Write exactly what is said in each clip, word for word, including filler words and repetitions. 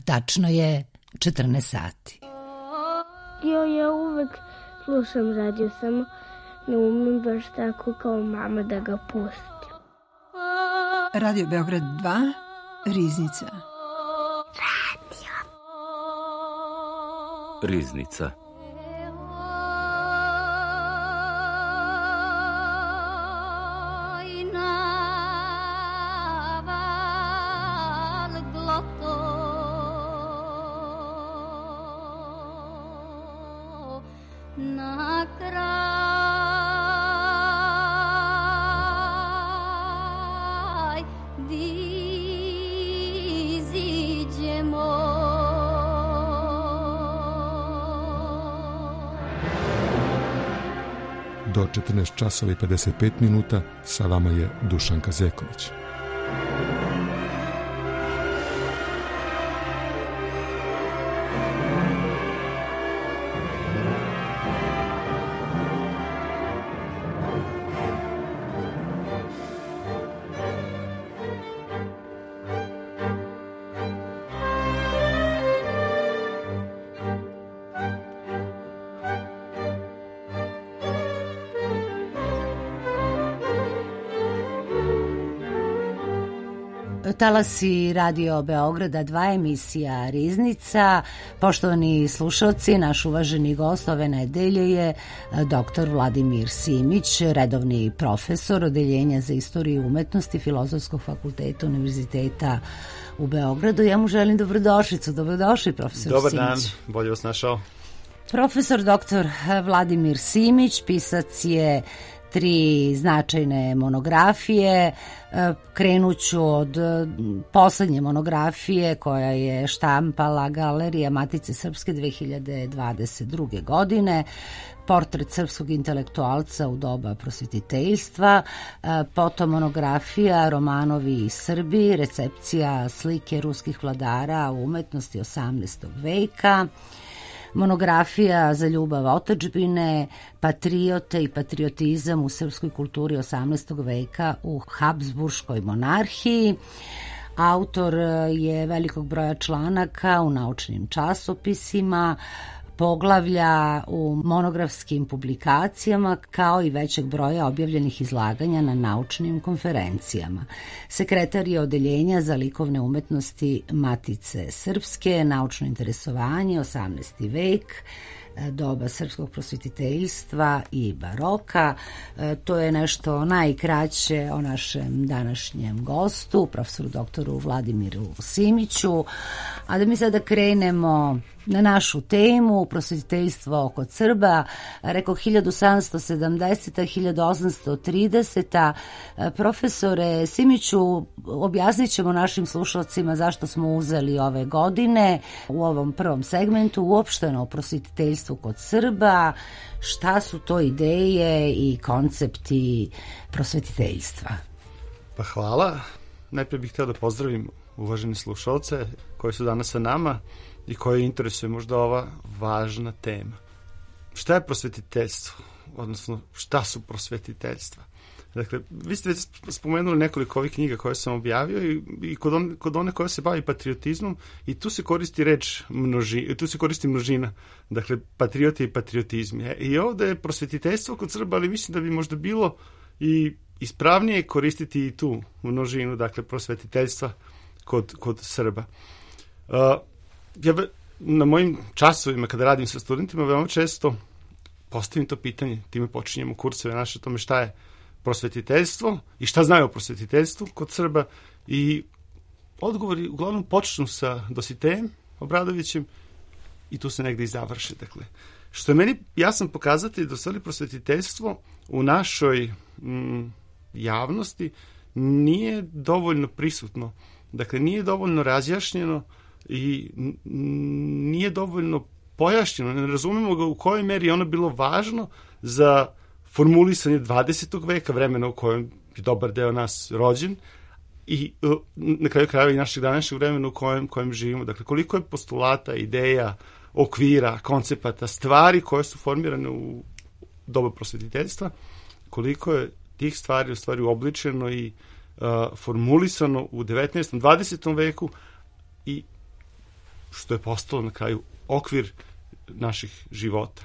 Tačno je četrnaest sati. Jo, ja uvek slušam radio, samo ne umem baš tako kao mama da ga pustim. Radio Beograd dva, Riznica. Radio. Riznica. Do četrnaest časova i pedeset pet minuta sa vama je Dušanka Zeković. Talasi Radio Beograda dva, emisija Riznica. Poštovani slušalci, naš uvaženi gost ove nedelje je doktor Vladimir Simić, redovni profesor Odeljenja za istoriju umetnosti Filozofskog fakulteta Univerziteta u Beogradu. Ja mu želim dobrodošlicu. Dobrodošli, profesor Dobar Simić. Dobar dan, bolje vas našao. Profesor doktor Vladimir Simić, pisac je tri značajne monografije. Krenuću od poslednje monografije koja je štampala Galerija Matice Srpske dve hiljade dvadeset druge. godine, portret srpskog intelektualca u doba prosvetiteljstva, potom monografija Romanovi i Srbi, recepcija slike ruskih vladara u umetnosti osamnaestog veka, monografija za ljubav otadžbine, patriote i patriotizam u srpskoj kulturi osamnaestog veka u Habsburškoj monarhiji. Autor je velikog broja članaka u naučnim časopisima, poglavlja u monografskim publikacijama, kao i većeg broja objavljenih izlaganja na naučnim konferencijama. Sekretar je Odeljenja za likovne umetnosti Matice Srpske, naučno interesovanje, osamnaesti vek, doba srpskog prosvetiteljstva i baroka. To je nešto najkraće o našem današnjem gostu, profesoru doktoru Vladimiru Simiću. A da mi sada krenemo na našu temu, prosvetiteljstvo kod Srba, rekao hiljadu sedamsto sedamdeseta do hiljadu osamsto trideseta. Profesore Simiću, objasnit ćemo našim slušalcima zašto smo uzeli ove godine u ovom prvom segmentu uopšteno prosvetiteljstvo kod Srba, šta su to ideje i koncepti prosvetiteljstva. Pa hvala. Najprije bih htio da pozdravim uvaženi slušalce koji su danas sa nama i koji interesuje možda ova važna tema. Šta je prosvetiteljstvo? Odnosno, šta su prosvetiteljstva? Dakle, vi ste spomenuli nekoliko ovih knjiga koje sam objavio i, i kod, on, kod one koje se bavi patriotizmom i tu se koristi reč množi, tu se koristi množina, dakle, patriote i patriotizmi. I ovde je prosvetiteljstvo kod Srba, ali mislim da bi možda bilo i ispravnije koristiti i tu množinu, dakle, prosvetiteljstva kod, kod Srba. Uh, ja na mojim časovima kada radim sa studentima veoma često postavim to pitanje, time počinjemo kurseve naše o tome šta je prosvetiteljstvo i šta znaju o prosvetiteljstvu kod Srba i odgovori uglavnom počnu sa Dositejem Obradovićem i tu se negde i završi. Dakle, što je meni jasan pokazatelj da stvari prosvetiteljstvo u našoj mm, javnosti nije dovoljno prisutno. Dakle, nije dovoljno razjašnjeno i nije dovoljno pojašnjeno. Ne razumemo ga u kojoj meri je ono bilo važno za formulisanje dvadesetog veka, vremena u kojem je dobar deo nas rođen i na kraju krajeva i našeg današnjeg vremena u kojem, kojem živimo. Dakle, koliko je postulata, ideja, okvira, koncepata, stvari koje su formirane u doba prosvetiteljstva, koliko je tih stvari u stvari uobličeno i uh, formulisano u devetnaestom. dvadesetom veku i što je postalo na kraju okvir naših života.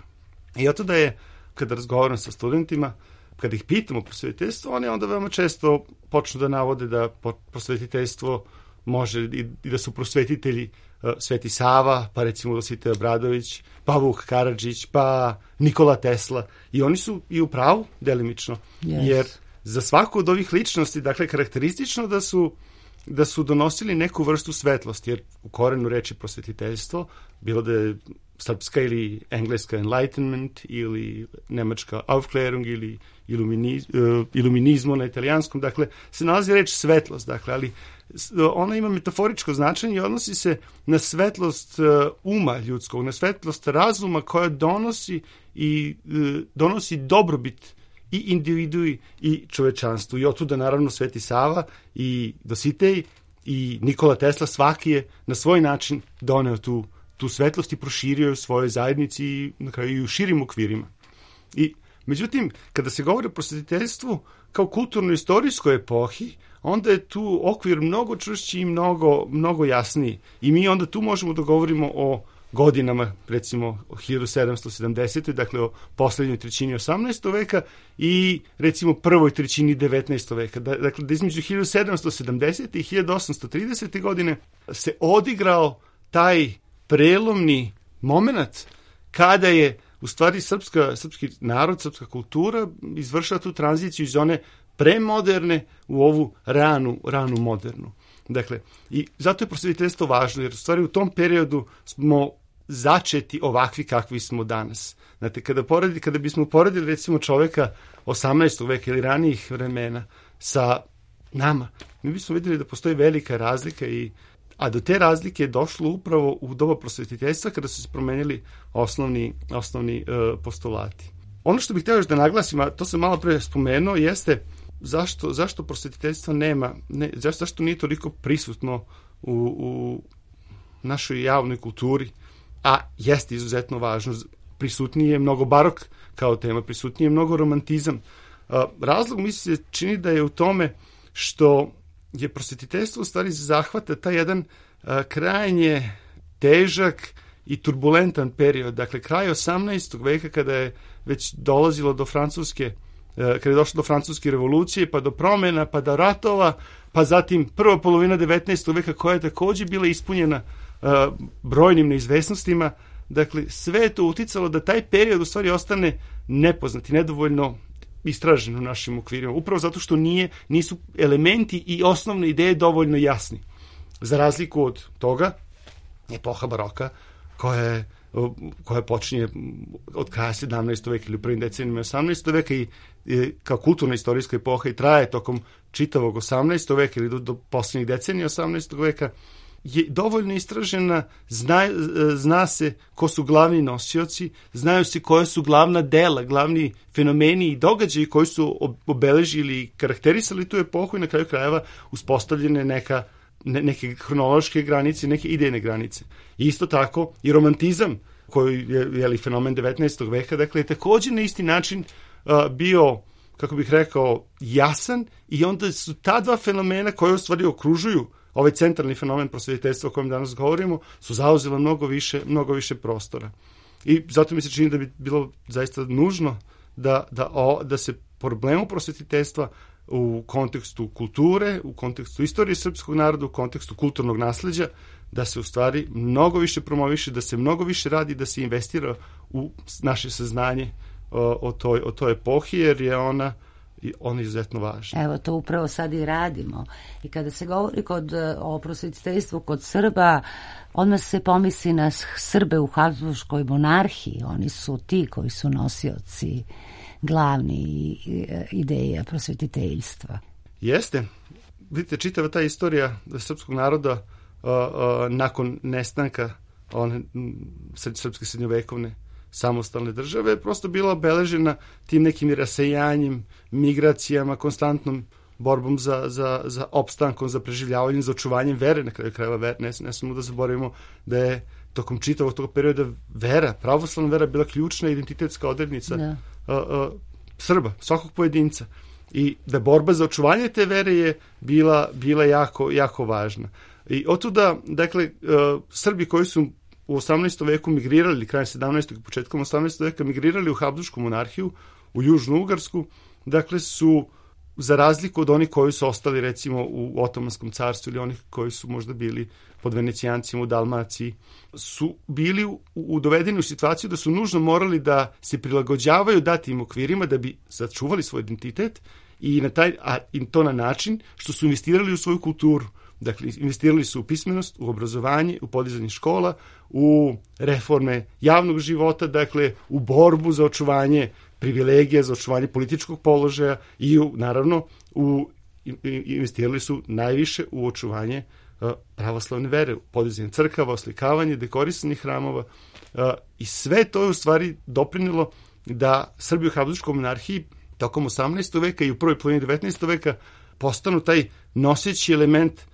I oto da je, kada razgovaram sa studentima, kada ih pitamo o prosvetiteljstvu, oni onda veoma često počnu da navode da prosvetiteljstvo može i, i da su prosvetitelji uh, Sveti Sava, pa recimo Dositej Obradović, pa Vuk Karadžić, pa Nikola Tesla. I oni su i u pravu delimično, yes. Jer za svaku od ovih ličnosti, dakle, karakteristično da su da su donosili neku vrstu svetlosti, jer u korenu reči prosvetiteljstvo, bilo da je srpska ili engleska enlightenment ili nemačka Aufklärung ili iluminiz, uh, iluminizmo na italijanskom, dakle, se nalazi reč svetlost, dakle, ali ona ima metaforičko značenje i odnosi se na svetlost uh, uma ljudskog, na svetlost razuma koja donosi i uh, donosi dobrobit i individui i čovečanstvu. I otuda naravno Sveti Sava i Dositej i Nikola Tesla, svaki je na svoj način doneo tu, tu svetlost i proširio je u svojoj zajednici i na kraju i u širim okvirima. I međutim, kada se govori o prosvetiteljstvu kao kulturno-istorijskoj epohi, onda je tu okvir mnogo čvršći i mnogo, mnogo jasniji. I mi onda tu možemo da govorimo o godinama, recimo hiljadu sedamsto sedamdesetoj. dakle o poslednjoj trećini osamnaestog veka i recimo prvoj trećini devetnaestog veka. Dakle, da između hiljadu sedamsto sedamdesete i hiljadu osamsto tridesete godine se odigrao taj prelomni moment kada je u stvari srpska, srpski narod, srpska kultura izvršila tu tranziciju iz one premoderne u ovu ranu, ranu modernu. Dakle, i zato je prosvetiteljstvo važno, jer u stvari u tom periodu smo začeti ovakvi kakvi smo danas. Znate, kada, poredi, kada bismo poredili recimo čoveka osamnaestog veka ili ranijih vremena sa nama, mi bismo vidjeli da postoji velika razlika, i, a do te razlike je došlo upravo u doba prosvetiteljstva kada su se promenili osnovni, osnovni uh, postulati. Ono što bih htio još da naglasim, a to sam malo pre spomenuo, jeste zašto, zašto prosvetiteljstvo nema, ne, zašto, zašto nije toliko prisutno u, u našoj javnoj kulturi, a jeste izuzetno važno. Prisutnije je mnogo barok kao tema, prisutnije je mnogo romantizam. Razlog mi se čini da je u tome što je prosvetiteljstvo u stvari zahvata taj jedan a, krajnje težak i turbulentan period. Dakle, kraj osamnaestog veka, kada je već dolazilo do francuske, kada je došlo do francuske revolucije, pa do promjena, pa do ratova, pa zatim prva polovina devetnaestog veka koja je također bila ispunjena uh, brojnim neizvesnostima. Dakle, sve je to uticalo da taj period u stvari ostane nepoznat i nedovoljno istražen u našim okvirima. Upravo zato što nije, nisu elementi i osnovne ideje dovoljno jasni. Za razliku od toga, epoha baroka, koja je koja počinje od kraja sedamnaestog veka ili u prvim decenijama osamnaestog veka i, i kao kulturna istorijska epoha i traje tokom čitavog osamnaestog veka ili do, do posljednjih decenija osamnaestog veka, je dovoljno istražena, zna, zna se ko su glavni nosioci, znaju se koje su glavna dela, glavni fenomeni i događaji koji su obeležili i karakterisali tu epohu i na kraju krajeva uspostavljene neka Ne, neke hronološke granice, neke idejne granice. I isto tako i romantizam, koji je, je li fenomen devetnaestog veka, dakle je također na isti način uh, bio, kako bih rekao, jasan, i onda su ta dva fenomena koje u stvari okružuju ovaj centralni fenomen prosvetiteljstva o kojem danas govorimo, su zauzela mnogo više, mnogo više prostora. I zato mi se čini da bi bilo zaista nužno da, da, o, da se problemu prosvetiteljstva u kontekstu kulture, u kontekstu istorije srpskog naroda, u kontekstu kulturnog nasleđa, da se u stvari mnogo više promoviše, da se mnogo više radi, da se investira u naše saznanje o, o, toj, o toj epohi, jer je ona, ona izuzetno važna. Evo, to upravo sad i radimo. I kada se govori kod, o prosvetiteljstvu kod Srba, odmah se pomisli na Srbe u Habsburškoj monarhiji. Oni su ti koji su nosioci glavni ideja prosvetiteljstva. Jeste. Vidite, čitava ta istorija srpskog naroda uh, uh, nakon nestanka one srpske srednjovekovne samostalne države je prosto bila obeležena tim nekim rasejanjem, migracijama, konstantnom borbom za, za, za opstankom, za preživljavanjem, za očuvanjem vere, na kraju krajeva vere. Ne, ne smemo da zaboravimo da je tokom čitavog tog perioda vera, pravoslavna vera bila ključna identitetska odrednica da. Uh, uh, Srba, svakog pojedinca. I da borba za očuvanje te vere je bila, bila jako, jako važna. I otuda, dakle, uh, Srbi koji su u osamnaestom veku migrirali, ili krajem sedamnaestog i početkom osamnaestog veka migrirali u Habsburšku monarhiju, u Južnu Ugarsku, dakle su, za razliku od onih koji su ostali recimo u Otomanskom carstvu ili onih koji su možda bili pod Venecijancima u Dalmaciji, su bili u, u dovedeni u situaciju da su nužno morali da se prilagođavaju datim okvirima da bi sačuvali svoj identitet i, na taj, a, i to na način što su investirali u svoju kulturu. Dakle, investirali su u pismenost, u obrazovanje, u podizanje škola, u reforme javnog života, dakle, u borbu za očuvanje privilegija, za očuvanje političkog položaja i, u, naravno, u, investirali su najviše u očuvanje uh, pravoslavne vere, u podizanje crkava, oslikavanje, dekorisanje hramova uh, i sve to je u stvari doprinelo da Srbi u Habsburškoj monarhiji tokom osamnaestog veka i u prvoj polovini devetnaestog veka postanu taj noseći element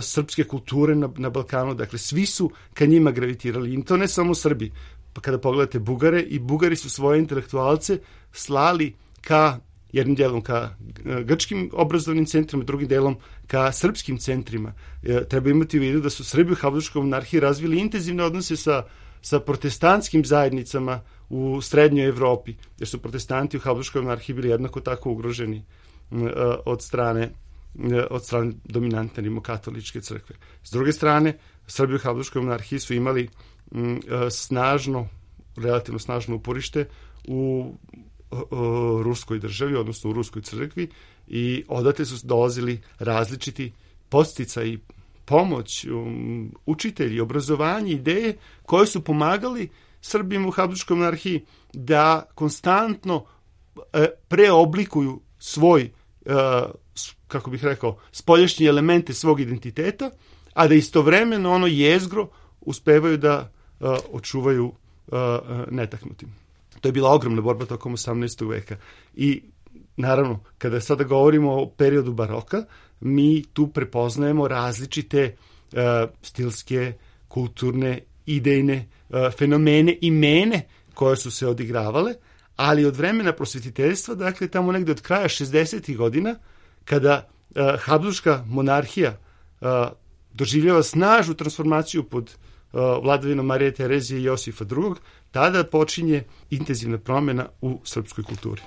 srpske kulture na, na Balkanu. Dakle, svi su ka njima gravitirali. I to ne samo Srbi. Pa kada pogledate Bugare, i Bugari su svoje intelektualce slali ka, jednim delom ka grčkim obrazovnim centrima, drugim delom ka srpskim centrima. E, treba imati u vidu da su Srbi u Habsburškoj monarhiji razvili intenzivne odnose sa, sa protestantskim zajednicama u srednjoj Evropi, jer su protestanti u Habsburškoj monarhiji bili jednako tako ugroženi e, od strane od strane dominantne rimokatoličke crkve. S druge strane, Srbi u Habsburškoj monarhiji su imali m, snažno, relativno snažno uporište u o, ruskoj državi, odnosno u ruskoj crkvi, i odatle su dolazili različiti podsticaji, pomoć, um, učitelji, obrazovanje, ideje koje su pomagali Srbima u Habsburškoj monarhiji da konstantno e, preoblikuju svoj e, kako bih rekao, spoljašnje elemente svog identiteta, a da istovremeno ono jezgro uspevaju da uh, očuvaju uh, netaknutim. To je bila ogromna borba tokom osamnaestog veka. I naravno, kada sada govorimo o periodu baroka, mi tu prepoznajemo različite uh, stilske, kulturne, idejne uh, fenomene i mene koje su se odigravale, ali od vremena prosvetiteljstva, dakle tamo negde od kraja šezdesetih godina, kada uh, Habsburška monarhija uh, doživljava snažnu transformaciju pod uh, vladavinom Marije Terezije i Josifa drugog, tada počinje intenzivna promjena u srpskoj kulturi.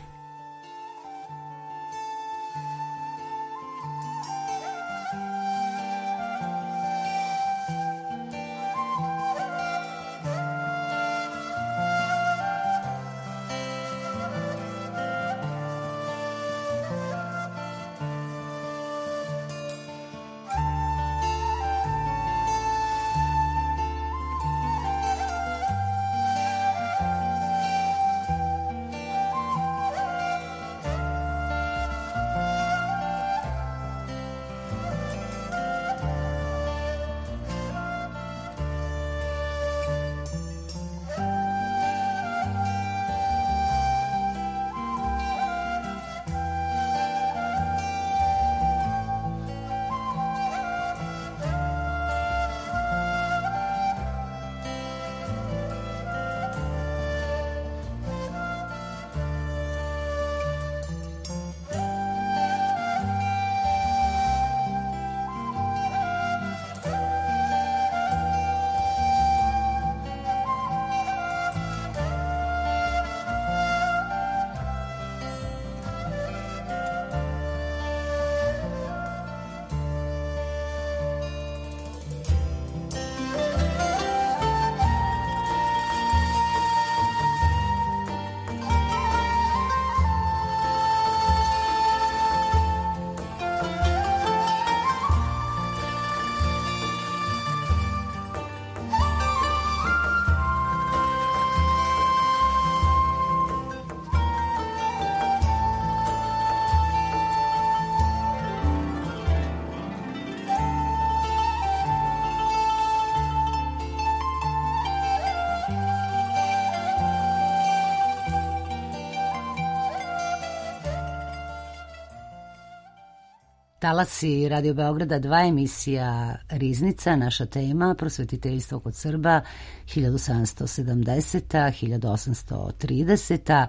Talasi Radio Beograda dva, emisija Riznica, naša tema prosvetiteljstvo kod Srba hiljadu sedamsto sedamdeseta do hiljadu osamsto trideseta.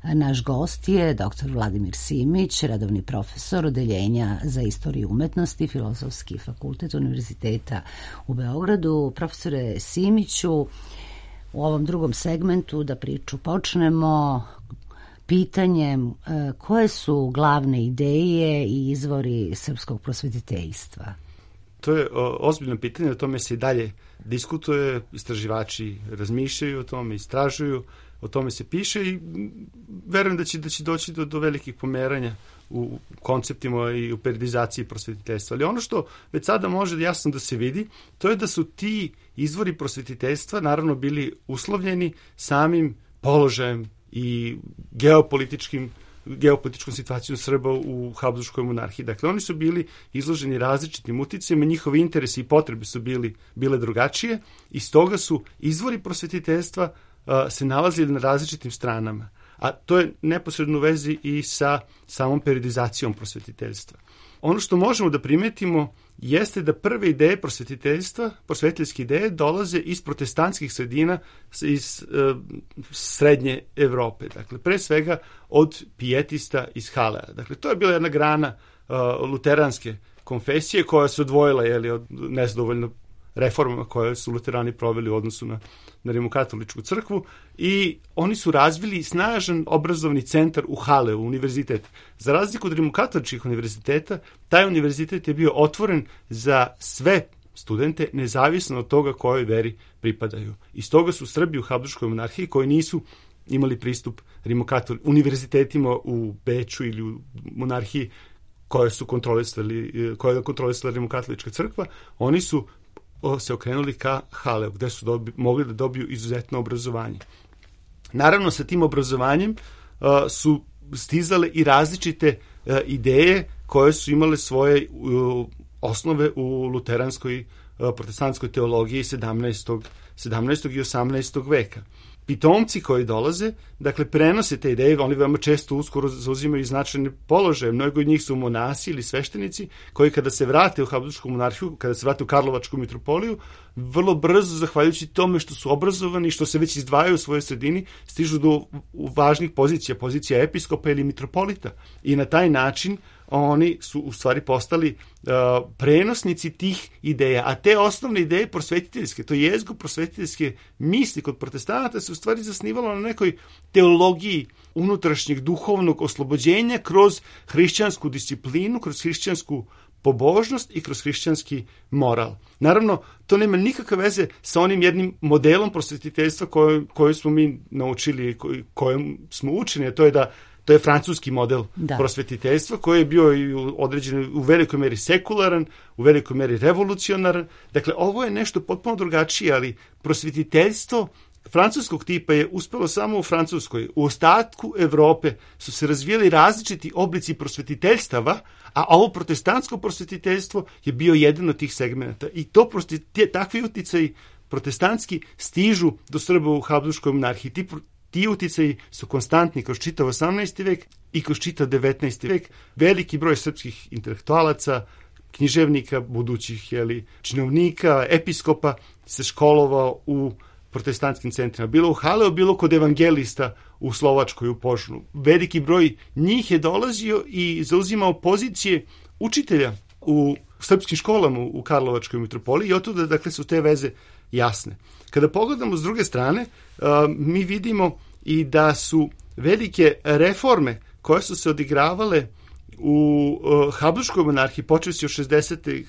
Naš gost je doktor Vladimir Simić, redovni profesor Odeljenja za istoriju umetnosti, Filozofski fakultet Univerziteta u Beogradu. Profesore Simiću, u ovom drugom segmentu da priču počnemo pitanjem koje su glavne ideje i izvori srpskog prosvetiteljstva? To je ozbiljno pitanje, o tome se i dalje diskutuje, istraživači razmišljaju o tome, istražuju, o tome se piše i verujem da će, da će doći do, do velikih pomeranja u konceptima i u periodizaciji prosvetiteljstva. Ali ono što već sada može jasno da se vidi, to je da su ti izvori prosvetiteljstva naravno bili uslovljeni samim položajem i geopolitičkim geopolitičkom situacijom Srba u Habsburškoj monarhiji. Dakle, oni su bili izloženi različitim uticajima, njihovi interesi i potrebe su bili, bile drugačije i stoga su izvori prosvetiteljstva uh, se nalazili na različitim stranama. A to je neposredno u vezi i sa samom periodizacijom prosvetiteljstva. Ono što možemo da primetimo jeste da prve ideje prosvetiteljstva, prosvetiteljske ideje dolaze iz protestantskih sredina iz e, srednje Evrope. Dakle, pre svega od pijetista iz Halea. Dakle, to je bila jedna grana e, luteranske konfesije koja se odvojila jeli, od nezadovoljno reformama koje su luterani proveli u odnosu na, na rimokatoličku crkvu i oni su razvili snažan obrazovni centar u Haleu, univerzitet. Za razliku od rimokatoličkih univerziteta, taj univerzitet je bio otvoren za sve studente, nezavisno od toga kojoj veri pripadaju. I stoga su Srbi u Habsburškoj monarhiji koji nisu imali pristup rimokatol univerzitetima u Beču ili u monarhiji koje su kontrolisali, koje je kontrolisala rimokatolička crkva, oni su se okrenuli ka Haleu, gde su dobi, mogli da dobiju izuzetno obrazovanje. Naravno, sa tim obrazovanjem uh, su stizale i različite uh, ideje koje su imale svoje uh, osnove u luteranskoj uh, protestantskoj teologiji sedamnaestog. sedamnaestog i osamnaestog veka. Pitomci koji dolaze, dakle, prenose te ideje, oni veoma često uskoro zauzimaju značajne položaje. Mnogo od njih su monasi ili sveštenici koji kada se vrate u Habsburšku monarhiju, kada se vrate u Karlovačku mitropoliju, vrlo brzo, zahvaljujući tome što su obrazovani, što se već izdvajaju u svojoj sredini, stižu do važnih pozicija, pozicija episkopa ili mitropolita. I na taj način oni su u stvari postali uh, prenosnici tih ideja, a te osnovne ideje prosvetiteljske, to jezgo prosvetiteljske misli kod protestanata se u stvari zasnivalo na nekoj teologiji unutrašnjeg duhovnog oslobođenja kroz hrišćansku disciplinu, kroz hrišćansku pobožnost i kroz hrišćanski moral. Naravno, to nema nikakve veze sa onim jednim modelom prosvetiteljstva koje, koje smo mi naučili, kojem smo učeni, a to je da to je francuski model da. prosvetiteljstva koji je bio i određen u velikoj meri sekularan, u velikoj meri revolucionaran. Dakle, ovo je nešto potpuno drugačije, ali prosvetiteljstvo francuskog tipa je uspelo samo u Francuskoj. U ostatku Evrope su se razvijali različiti oblici prosvetiteljstava, a ovo protestantsko prosvetiteljstvo je bio jedan od tih segmenta. I to te, takvi uticaji protestantski stižu do Srba u Habsburškoj monarhiji. Ti Ti uticaji su konstantni kroz čitav osamnaesti vek i kroz čitav devetnaesti vek. Veliki broj srpskih intelektualaca, književnika, budućih jeli, činovnika, episkopa se školovao u protestantskim centrima. Bilo u Haleu, bilo kod evangelista u Slovačkoj, u Požnu. Veliki broj njih je dolazio i zauzimao pozicije učitelja u srpskim školama u Karlovačkoj mitropoliji i otuda, dakle, su te veze jasne. Kada pogledamo s druge strane, mi vidimo i da su velike reforme koje su se odigravale u Habsburškoj monarhiji, počeši od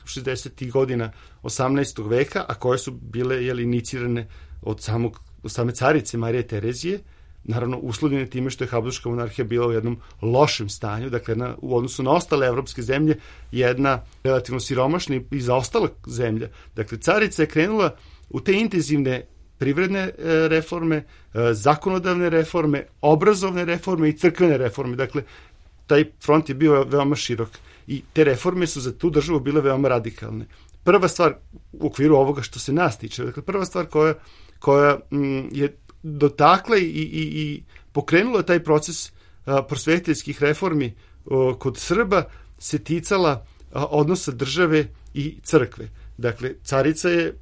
šezdesetih godina osamnaestog veka, a koje su bile jeli, inicirane od, samog, od same carice Marije Terezije, naravno uslovljene time što je Habsburška monarhija bila u jednom lošem stanju, dakle jedna, u odnosu na ostale evropske zemlje, jedna relativno siromašna i zaostala zemlja. Dakle, carica je krenula u te intenzivne privredne reforme, zakonodavne reforme, obrazovne reforme i crkvene reforme. Dakle, taj front je bio veoma širok i te reforme su za tu državu bile veoma radikalne. Prva stvar u okviru ovoga što se nas tiče, dakle, prva stvar koja, koja m, je dotakla i, i, i pokrenula taj proces a, prosvetiteljskih reformi o, kod Srba se ticala odnosa države i crkve. Dakle, carica je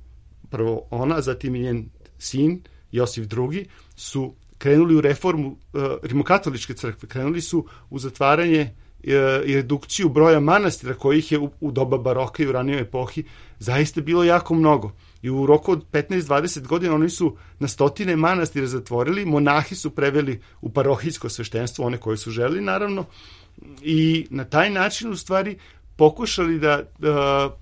prvo ona, zatim i njen sin Josif drugi su krenuli u reformu uh, rimokatoličke crkve, krenuli su u zatvaranje uh, i redukciju broja manastira kojih je u, u doba baroka i u ranijoj epohi zaista bilo jako mnogo. I u roku od petnaest do dvadeset godina oni su na stotine manastira zatvorili, monahi su preveli u parohijsko sveštenstvo, one koje su želeli naravno, i na taj način u stvari pokušali da uh,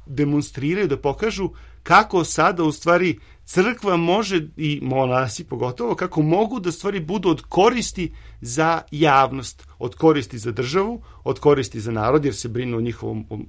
demonstriraju, da pokažu kako sada u stvari crkva može, i monasi pogotovo, kako mogu da stvari budu od koristi za javnost, od koristi za državu, od koristi za narod, jer se brinu o njihovom o,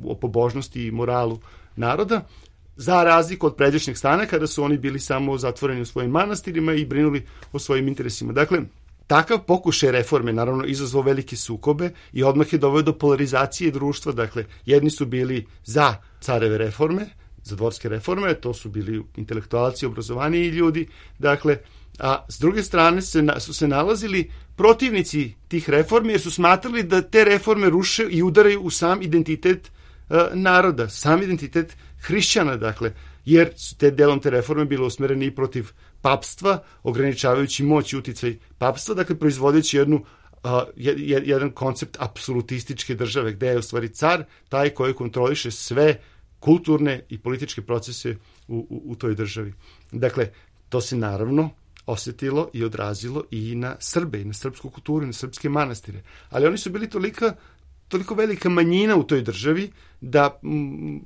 o pobožnosti i moralu naroda, za razliku od pređašnjeg stana kada su oni bili samo zatvoreni u svojim manastirima i brinuli o svojim interesima. Dakle, takav pokušaj reforme naravno izazvao velike sukobe i odmah je doveo do polarizacije društva. Dakle, jedni su bili za careve reforme, za dvorske reforme, to su bili intelektualci, obrazovaniji ljudi, dakle, a s druge strane se, su se nalazili protivnici tih reformi jer su smatrali da te reforme ruše i udaraju u sam identitet uh, naroda, sam identitet hrišćana, dakle, jer su te delom te reforme bile usmerene i protiv papstva, ograničavajući moć i uticaj papstva, dakle, proizvodeći jednu Uh, jedan koncept apsolutističke države, gde je u stvari car taj koji kontroliše sve kulturne i političke procese u, u, u toj državi. Dakle, to se naravno osjetilo i odrazilo i na Srbe, i na srpsku kulturu, i na srpske manastire. Ali oni su bili tolika, toliko velika manjina u toj državi da m,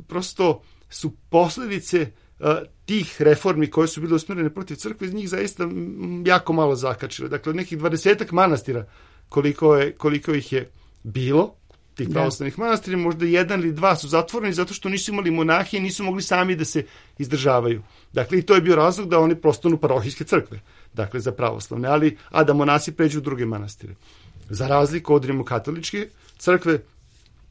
prosto su posledice uh, tih reformi koje su bile usmjerene protiv crkve iz njih zaista m, jako malo zakačile. Dakle, od nekih dvadesetak manastira koliko, je, koliko ih je bilo, tih pravoslavnih manastira, možda jedan ili dva su zatvoreni zato što nisu imali monahije i nisu mogli sami da se izdržavaju. Dakle, i to je bio razlog da oni postanu parohijske crkve, dakle, za pravoslavne, ali, a da monasi pređu u druge manastire. Za razliku od rimokatoličke crkve,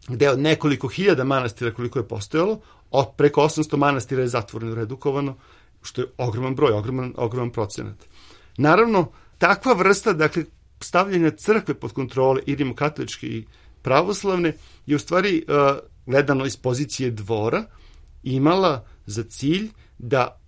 gde od nekoliko hiljada manastira koliko je postojalo, od preko osamsto manastira je zatvoreno, redukovano, što je ogroman broj, ogroman, ogroman procenat. Naravno, takva vrsta, dakle, stavljanja crkve pod kontrole i rimokatoličke i pravoslavne je u stvari, uh, gledano iz pozicije dvora, imala za cilj da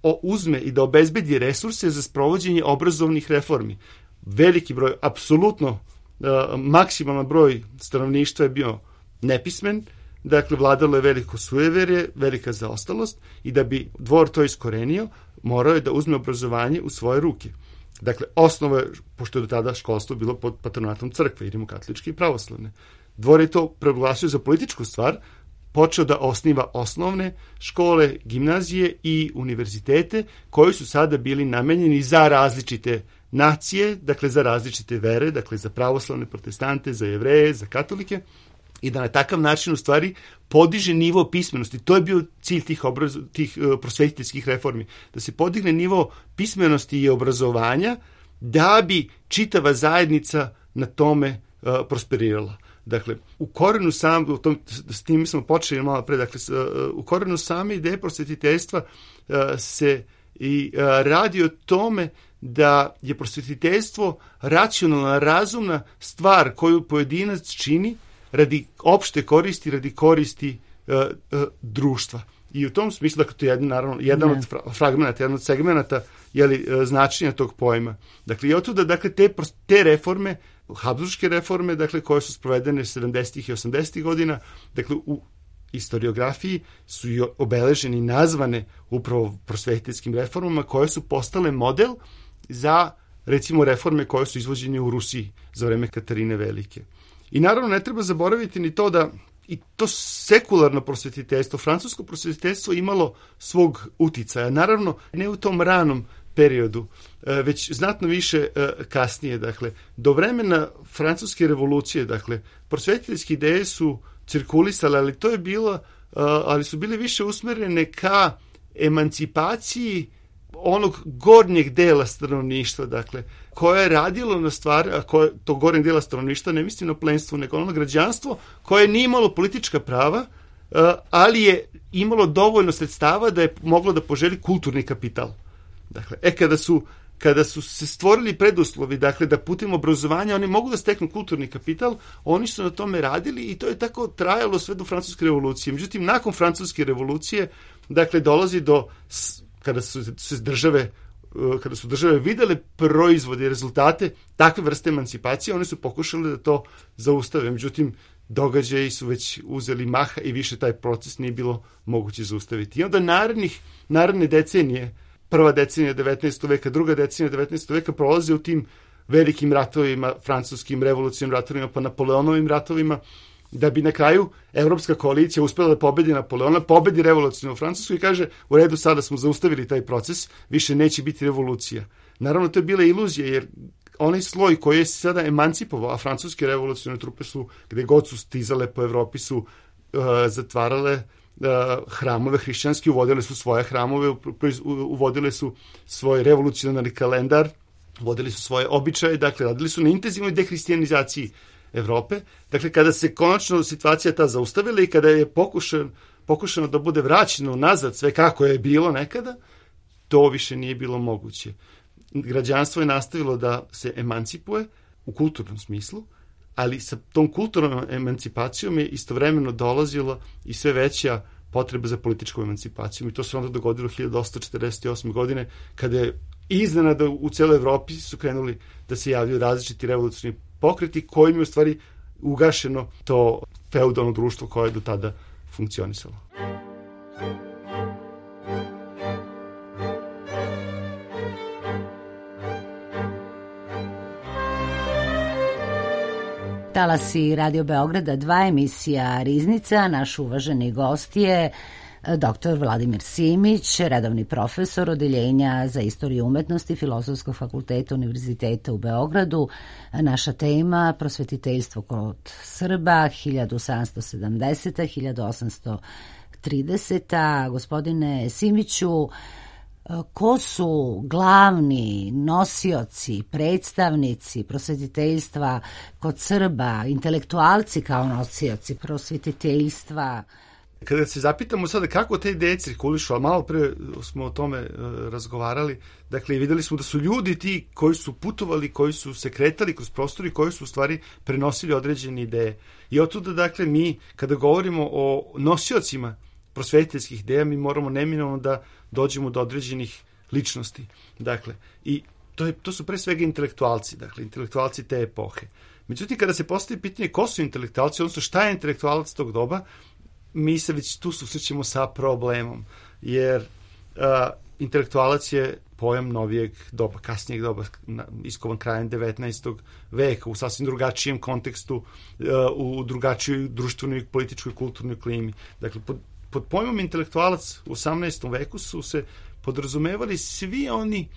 o, uzme i da obezbedi resurse za sprovođenje obrazovnih reformi. Veliki broj, apsolutno uh, maksimalan broj stanovništva je bio nepismen, dakle, vladalo je veliko sujeverje, velika zaostalost, i da bi dvor to iskorenio, morao je da uzme obrazovanje u svoje ruke. Dakle, osnova je, pošto je do tada školstvo bilo pod patronatom crkve, i rimokatoličke i pravoslavne. Dvor je to proglasio za političku stvar, počeo da osniva osnovne škole, gimnazije i univerzitete, koji su sada bili namenjeni za različite nacije, dakle za različite vere, dakle za pravoslavne, protestante, za jevreje, za katolike, i da na takav način u stvari podiže nivo pismenosti. To je bio cilj tih, obraz, tih uh, prosvetiteljskih reformi. Da se podigne nivo pismenosti i obrazovanja da bi čitava zajednica na tome uh, prosperirala. Dakle, u korenu sam, u tom, s tim smo počeli malo pre, dakle, uh, u korenu same ideje prosvetiteljstva uh, se i uh, radi o tome da je prosvetiteljstvo racionalna, razumna stvar koju pojedinac čini radi opšte koristi, radi koristi uh, uh, društva. I u tom smislu, dakle, to je jedan, naravno, jedan ne. od fra- fragmenata, jedan od segmenata jeli, uh, značenja tog pojma. Dakle, i otuda, dakle, te, te reforme, habsburške reforme, dakle, koje su sprovedene sedamdesetih i osamdesetih godina, dakle, u historiografiji su i obeleženi i nazvane upravo prosvetiteljskim reformama, koje su postale model za, recimo, reforme koje su izvođene u Rusiji za vreme Katarine Velike. I naravno ne treba zaboraviti ni to da i to sekularno prosvetiteljstvo, francusko prosvetiteljstvo imalo svog uticaja. Naravno, ne u tom ranom periodu, već znatno više kasnije. Dakle, do vremena francuske revolucije, dakle, prosvetiteljske ideje su cirkulisale, ali to je bilo, ali su bile više usmerene ka emancipaciji onog gornjeg dela stanovništva, dakle, koje je radilo na stvari, a koje, to gornjeg dela stanovništva, ne mislim na plenstvo, nego ono građanstvo, koje nije imalo politička prava, ali je imalo dovoljno sredstava da je moglo da poželi kulturni kapital. Dakle, e, kada su, kada su se stvorili preduslovi, dakle da putem obrazovanja oni mogu da steknu kulturni kapital, oni su na tome radili i to je tako trajalo sve do Francuske revolucije. Međutim, nakon Francuske revolucije, dakle, dolazi do, kada su se države kada su države videle proizvode i rezultate takve vrste emancipacije, one su pokušale da to zaustave. Međutim, događaji su već uzeli maha i više taj proces nije bilo moguće zaustaviti. I onda narednih, naredne decenije, prva decenija devetnaestog veka, druga decenija devetnaestog veka prolaze u tim velikim ratovima, francuskim revolucionarnim ratovima, pa Napoleonovim ratovima, da bi na kraju Evropska koalicija uspela da pobedi Napoleona, pobedi revolucionarnu Francusku i kaže, u redu, sada smo zaustavili taj proces, više neće biti revolucija. Naravno, to je bila iluzija, jer onaj sloj koji je sada emancipovao, a francuske revolucionarne trupe su, gde god su stizale po Evropi, su uh, zatvarale uh, hramove hrišćanski, uvodile su svoje hramove, uvodile su svoj revolucionarni kalendar, uvodili su svoje običaje, dakle, radili su na intenzivnoj dehristijanizaciji Evrope. Dakle, kada se konačno situacija ta zaustavila i kada je pokušan, pokušano da bude vraćeno nazad sve kako je bilo nekada, to više nije bilo moguće. Građanstvo je nastavilo da se emancipuje u kulturnom smislu, ali sa tom kulturnom emancipacijom je istovremeno dolazilo i sve veća potreba za političkom emancipacijom. I to se onda dogodilo hiljadu osamsto četrdeset osme. godine, kada je iznenada u celoj Evropi su krenuli da se javljaju različiti revolucionarni pokreti kojim je u stvari ugašeno to feudalno društvo koje je do tada funkcionisalo. Talasi Radio Beograda dva, emisija Riznica. Naš uvaženi gost je doktor Vladimir Simić, redovni profesor Odeljenja za istoriju umetnosti Filozofskog fakulteta Univerziteta u Beogradu. Naša tema prosvetiteljstvo kod Srba hiljadu sedamsto sedamdeseta do hiljadu osamsto trideseta. Gospodine Simiću, ko su glavni nosioci, predstavnici prosvetiteljstva kod Srba, intelektualci kao nosioci prosvetiteljstva? Kada se zapitamo sada kako te ideje cirkulišu, a malo pre smo o tome uh, razgovarali, dakle videli smo da su ljudi ti koji su putovali, koji su se kretali kroz prostor i koji su u stvari prenosili određene ideje. I otuda, dakle, mi kada govorimo o nosiocima prosvetiteljskih ideja, mi moramo neminovno da dođemo do određenih ličnosti. Dakle, i to, je, to su pre svega intelektualci, dakle, intelektualci te epohe. Međutim, kada se postavi pitanje ko su intelektualci, odnosno šta je intelektualac tog doba, mi se već tu susrećemo sa problemom, jer a, intelektualac je pojam novijeg doba, kasnijeg doba, iskovan krajem devetnaestog veka, u sasvim drugačijem kontekstu, a, u drugačijoj društvenoj, političkoj, kulturnoj klimi. Dakle, pod, pod pojmom intelektualac u osamnaestom veku su se podrazumevali svi oni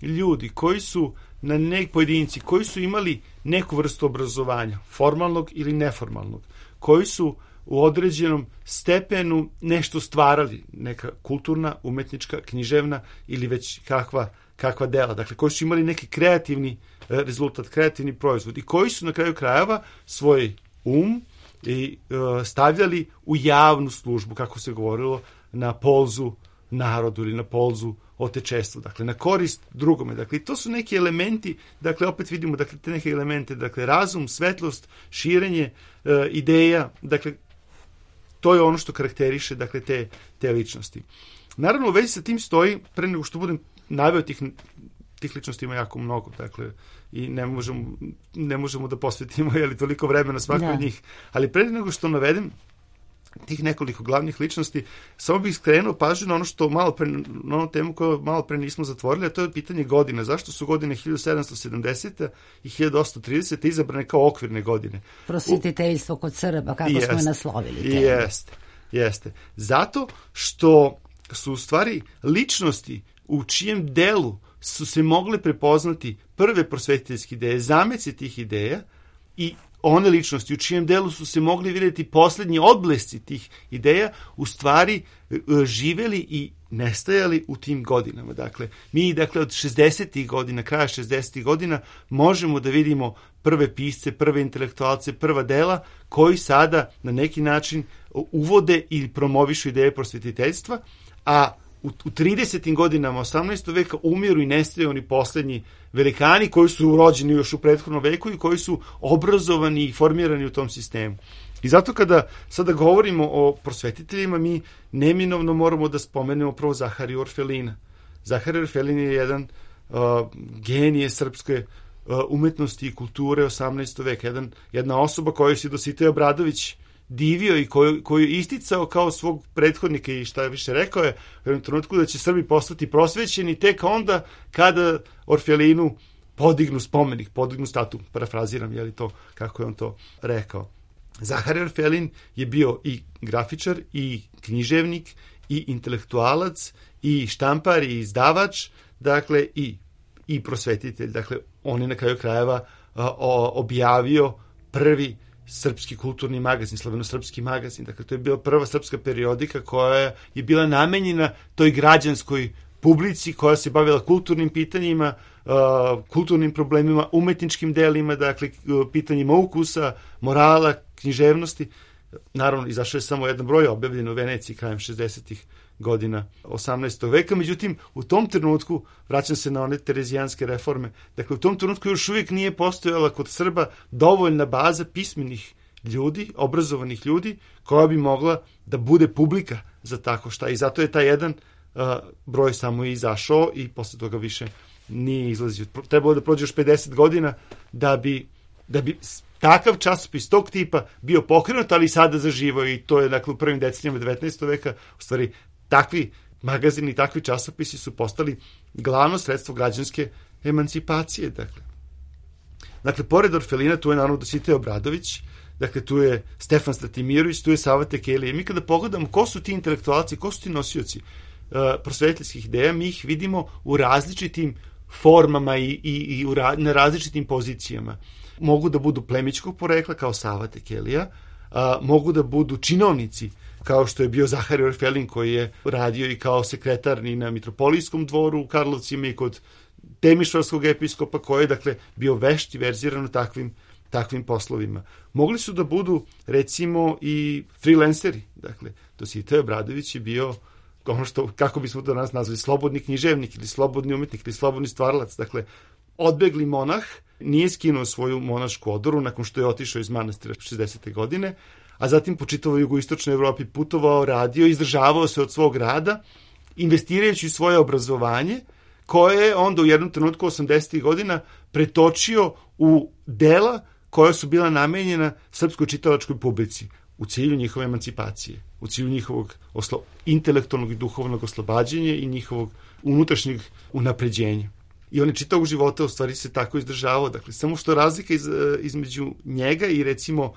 ljudi koji su na nek pojedinci, koji su imali neku vrstu obrazovanja, formalnog ili neformalnog, koji su u određenom stepenu nešto stvarali, neka kulturna, umetnička, književna ili već kakva, kakva dela. Dakle, koji su imali neki kreativni rezultat, kreativni proizvod i koji su na kraju krajeva svoj um i uh, stavljali u javnu službu, kako se govorilo, na polzu narodu ili na polzu otečestvu, dakle, na korist drugome. Dakle, to su neki elementi, dakle, opet vidimo, dakle, te neke elemente, dakle, razum, svetlost, širenje uh, ideja, dakle, to je ono što karakteriše, dakle, te, te ličnosti. Naravno, u vezi sa tim stoji, pre nego što budem naveo tih, tih ličnosti ima jako mnogo, dakle, i ne možemo, ne možemo da posvetimo, jeli, toliko vremena svakoj od njih, ali pre nego što navedem tih nekoliko glavnih ličnosti, samo bih skrenuo pažnju na ono što malo pre, na onu temu koju malo pre nismo zatvorili, a to je pitanje godina. Zašto su godine hiljadu sedamsto sedamdeseta i hiljadu osamsto trideseta izabrane kao okvirne godine? Prosvetiteljstvo kod Srba, kako jest, smo je naslovili. Temu. Jeste, jeste. Zato što su u stvari ličnosti u čijem delu su se mogle prepoznati prve prosvetiteljske ideje, zameci tih ideja i one ličnosti u čijem delu su se mogli vidjeti poslednji odblesci tih ideja, u stvari živeli i nestajali u tim godinama. Dakle, mi dakle od šezdesetih godina, kraja šezdesetih godina, možemo da vidimo prve pisce, prve intelektualce, prva dela koji sada na neki način uvode i promovišu ideje prosvetiteljstva, a u, u tridesetim godinama osamnaestog veka umiru i nestaju oni poslednji velikani koji su rođeni još u prethodnom veku i koji su obrazovani i formirani u tom sistemu. I zato kada sada govorimo o prosvetiteljima, mi neminovno moramo da spomenemo prvo Zaharija Orfelina. Zaharij Orfelin je jedan uh, genije srpske uh, umetnosti i kulture osamnaestog veka, jedan, jedna osoba koju se Dositej Obradović divio i koju, koju je isticao kao svog prethodnika i šta je više rekao je u jednom trenutku da će Srbi postati prosvećeni tek onda kada Orfelinu podignu spomenik, podignu statu, parafraziram, je li to kako je on to rekao. Zaharij Orfelin je bio i grafičar, i književnik, i intelektualac, i štampar, i izdavač, dakle, i, i prosvetitelj. Dakle, on je na kraju krajeva a, o, objavio prvi srpski kulturni magazin, slaveno-srpski magazin. Dakle, to je bila prva srpska periodika koja je bila namenjena toj građanskoj publici koja se bavila kulturnim pitanjima, uh, kulturnim problemima, umetničkim delima, dakle, pitanjima ukusa, morala, književnosti. Naravno, izašao je samo jedan broj objavljen u Veneciji krajem šezdesetih godina osamnaestog veka, međutim, u tom trenutku, vraćam se na one terezijanske reforme, dakle, u tom trenutku još uvijek nije postojala kod Srba dovoljna baza pismenih ljudi, obrazovanih ljudi, koja bi mogla da bude publika za tako šta. I zato je taj jedan uh, broj samo izašao i posle toga više nije izlazio. Trebalo da prođe još pedeset godina da bi, da bi takav časopis tog tipa bio pokrenut, ali sada zaživo i to je, dakle, u prvim decenijama devetnaestog veka, u stvari, takvi magazini i takvi časopisi su postali glavno sredstvo građanske emancipacije. Dakle, dakle pored Orfelina tu je naravno Dositej Obradović, dakle tu je Stefan Stratimirović, tu je Sava Tekelija. Mi kada pogledamo ko su ti intelektualci, ko su ti nosioci uh, prosvetiteljskih ideja, mi ih vidimo u različitim formama i, i, i u ra, na različitim pozicijama. Mogu da budu plemićkog porekla kao Sava Tekelija, a, mogu da budu činovnici kao što je bio Zaharij Orfelin koji je radio i kao sekretar i na mitropolijskom dvoru u Karlovcima i kod Temišvarskog episkopa koji je, dakle, bio vešt i verziran u takvim, takvim poslovima. Mogli su da budu, recimo, i freelanceri. Dakle, Dositej Obradović je bio ono što, kako bismo to danas nazvali, slobodni književnik ili slobodni umetnik ili slobodni stvaralac. Dakle, odbegli monah, nije skinuo svoju monašku odoru nakon što je otišao iz manastira šezdesete godine, a zatim po čitavoj jugoistočnoj Evropi putovao, radio, izdržavao se od svog rada, investirajući svoje obrazovanje, koje je onda u jednom trenutku osamdesetih godina pretočio u dela koja su bila namenjena srpskoj čitalačkoj publici u cilju njihove emancipacije, u cilju njihovog oslo... intelektualnog i duhovnog oslobađanja i njihovog unutrašnjeg unapređenja. I on je čitavog života u stvari se tako izdržavao. Dakle, samo što razlika iz, između njega i recimo uh,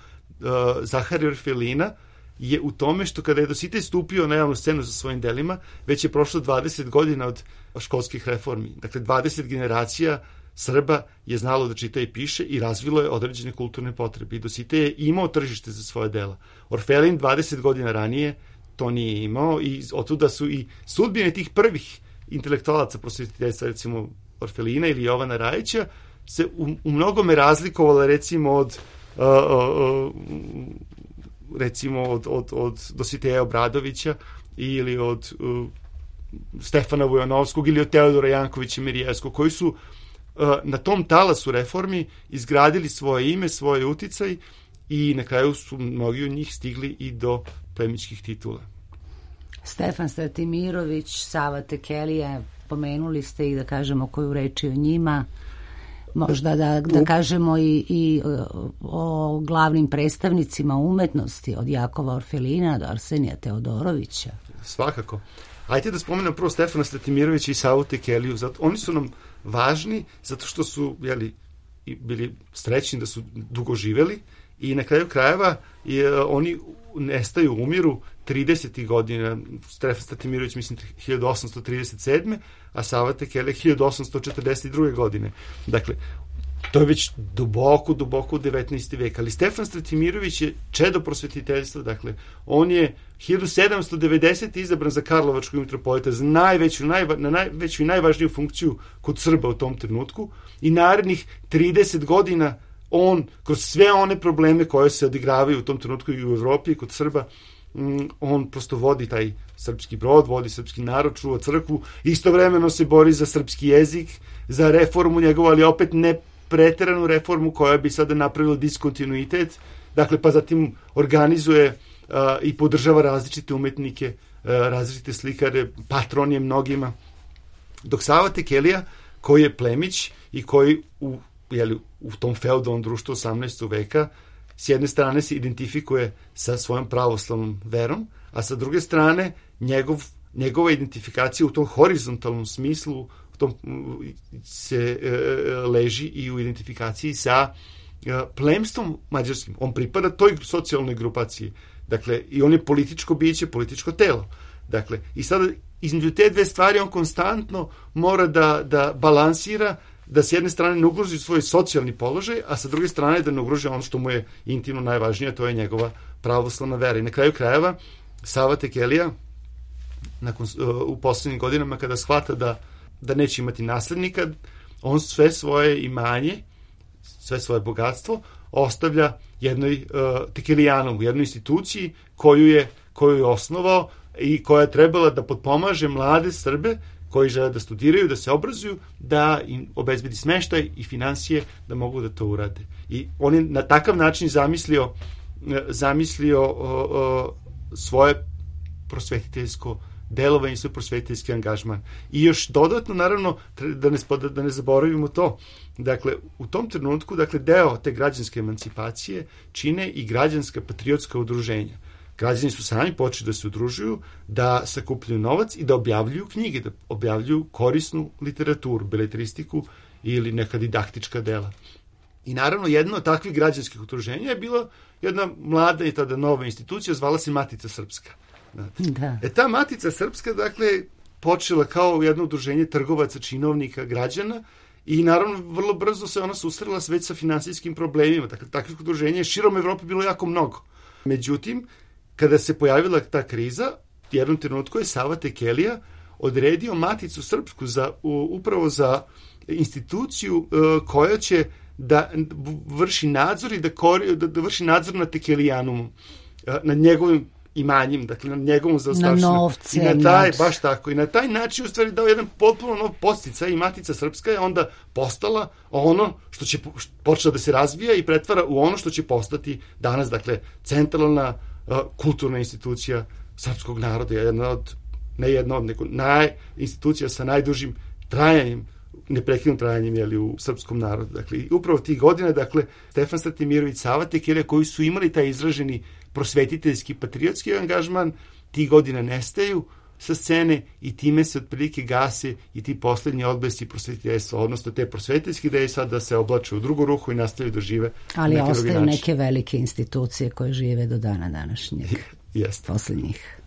Zaharija Orfelina je u tome što kada je Dositej stupio na javnu scenu sa svojim delima, već je prošlo dvadeset godina od školskih reformi. Dakle, dvadeset generacija Srba je znalo da čita i piše i razvilo je određene kulturne potrebe. I Dositej je imao tržište za svoje dela. Orfelin dvadeset godina ranije to nije imao i otuda su i sudbine tih prvih intelektualaca prosvetiteljstva, recimo Orfelina ili Jovana Rajića, se u, u mnogome razlikovala recimo od uh, uh, recimo od, od, od Dositeja Obradovića ili od uh, Stefana Vujanovskog ili od Teodora Jankovića Mirijevskog, koji su uh, na tom talasu reformi izgradili svoje ime, svoje uticaj i na kraju su mnogi od njih stigli i do plemićkih titula. Stefan Stratimirović, Sava Tekelija, pomenuli ste i da kažemo koju reči o njima, možda da, da kažemo i, i o glavnim predstavnicima umetnosti, od Jakova Orfelina do Arsenija Teodorovića. Svakako. Ajde da spomenem prvo Stefana Stratimirovića i Savu Tekeliju. Zato, oni su nam važni zato što su, jeli, bili srećni da su dugo živeli i na kraju krajeva je, oni nestaju, umiru tridesetih godina. Stefan Stratimirović, mislim, hiljadu osamsto trideset sedme a Sava Tekelija hiljadu osamsto četrdeset druge godine. Dakle, to je već duboko, duboko u devetnaesti vek. Ali Stefan Stratimirović je čedo prosvetiteljstva. Dakle, on je hiljadu sedamsto devedesete izabran za Karlovačkog mitropolita, za najveću, najva, na najveću i najvažniju funkciju kod Srba u tom trenutku. I narednih trideset godina on, kroz sve one probleme koje se odigravaju u tom trenutku i u Evropi i kod Srba, on prosto vodi taj srpski brod, vodi srpski narod, čuva crkvu, istovremeno se bori za srpski jezik, za reformu njegovu, ali opet ne preteranu reformu koja bi sada napravila diskontinuitet, dakle pa zatim organizuje uh, i podržava različite umetnike, uh, različite slikare, patron je mnogima. Dok Sava Tekelija, koji je plemić i koji u, jeli, u tom feudalnom društvu osamnaestog veka s jedne strane se identifikuje sa svojom pravoslavnom verom, a sa druge strane njegov, njegova identifikacija u tom horizontalnom smislu u tom, se e, leži i u identifikaciji sa e, plemstvom mađarskim. On pripada toj socijalnoj grupaciji. Dakle, i on je političko biće, političko telo. Dakle, i sada između te dve stvari on konstantno mora da, da balansira, da s jedne strane ne ugroži svoj socijalni položaj, a sa druge strane da ne ugroži ono što mu je intimno najvažnije, to je njegova pravoslavna vera. I na kraju krajeva, Sava Tekelija, nakon, u poslednjim godinama, kada shvata da, da neće imati naslednika, on sve svoje imanje, sve svoje bogatstvo ostavlja jednoj uh, Tekelijanovu, jednoj instituciji koju je, koju je osnovao i koja je trebala da potpomaže mlade Srbe koji žele da studiraju, da se obrazuju, da im obezbedi smeštaj i finansije da mogu da to urade. I on je na takav način zamislio, zamislio o, o, svoje prosvetiteljsko delovanje i svoj prosvetiteljski angažman. I još dodatno, naravno, da ne, da ne zaboravimo to, dakle, u tom trenutku, dakle, deo te građanske emancipacije čine i građanska patriotska udruženja. Građani su sami počeli da se udružuju, da sakupljaju novac i da objavljuju knjige, da objavljuju korisnu literaturu, beletristiku ili neka didaktička dela. I naravno, jedno od takvih građanskih udruženja je bila jedna mlada i tada nova institucija, zvala se Matica Srpska. Da. E ta Matica Srpska, dakle, počela kao jedno udruženje trgovaca, činovnika, građana i naravno vrlo brzo se ona susrela već sa finansijskim problemima. Dakle, takvih udruženja je širom Evrope bilo jako mnogo. Međutim, kada se pojavila ta kriza, u jednom trenutku je Sava Tekelija odredio Maticu Srpsku za, u, upravo za instituciju uh, koja će da vrši nadzor i da, kori, da, da vrši nadzor na Tekelijanumu, uh, nad njegovim imanjem, dakle na njegovom zaostavštinu. Na novce. I na taj, baš tako, i na taj način u stvari dao jedan potpuno nov podsticaj i Matica Srpska je onda postala ono što će počela da se razvija i pretvara u ono što će postati danas, dakle, centralna kulturna institucija srpskog naroda, jedna od, ne jedna od, nego naj, institucija sa najdužim trajanjem, neprekidnim trajanjem, jeli, u srpskom narodu. Dakle, upravo tih godina, dakle, Stefan Stratimirović, Sava Tekelija, koji su imali taj izraženi prosvetiteljski, patriotski angažman, tih godina nestaju sa scene i time se otprilike gase i ti poslednji odblesci prosvetiteljstva, odnosno te prosvetiteljske ideje sad da se oblače u drugu ruhu i nastavljaju da žive. Ali ostaju neke velike institucije koje žive do dana današnjeg. Jeste. Poslednjih.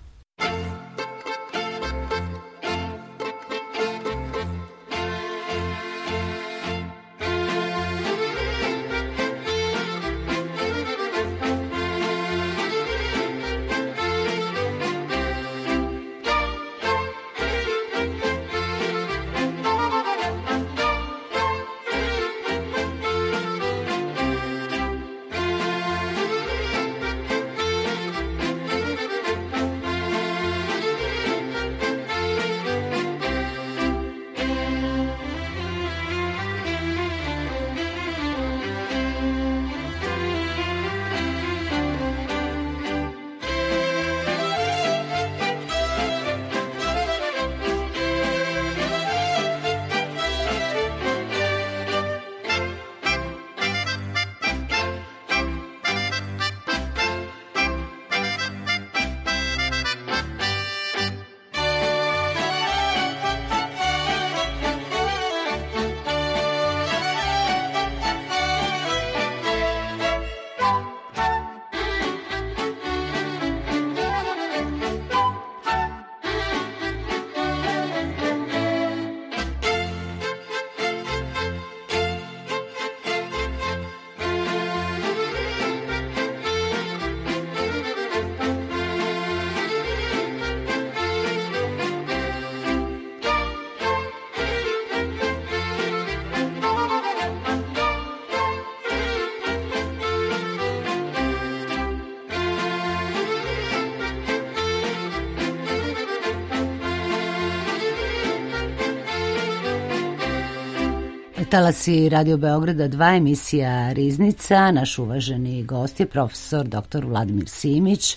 Talasi Radio Beograda dva, emisija Riznica. Naš uvaženi gost je profesor doktor Vladimir Simić,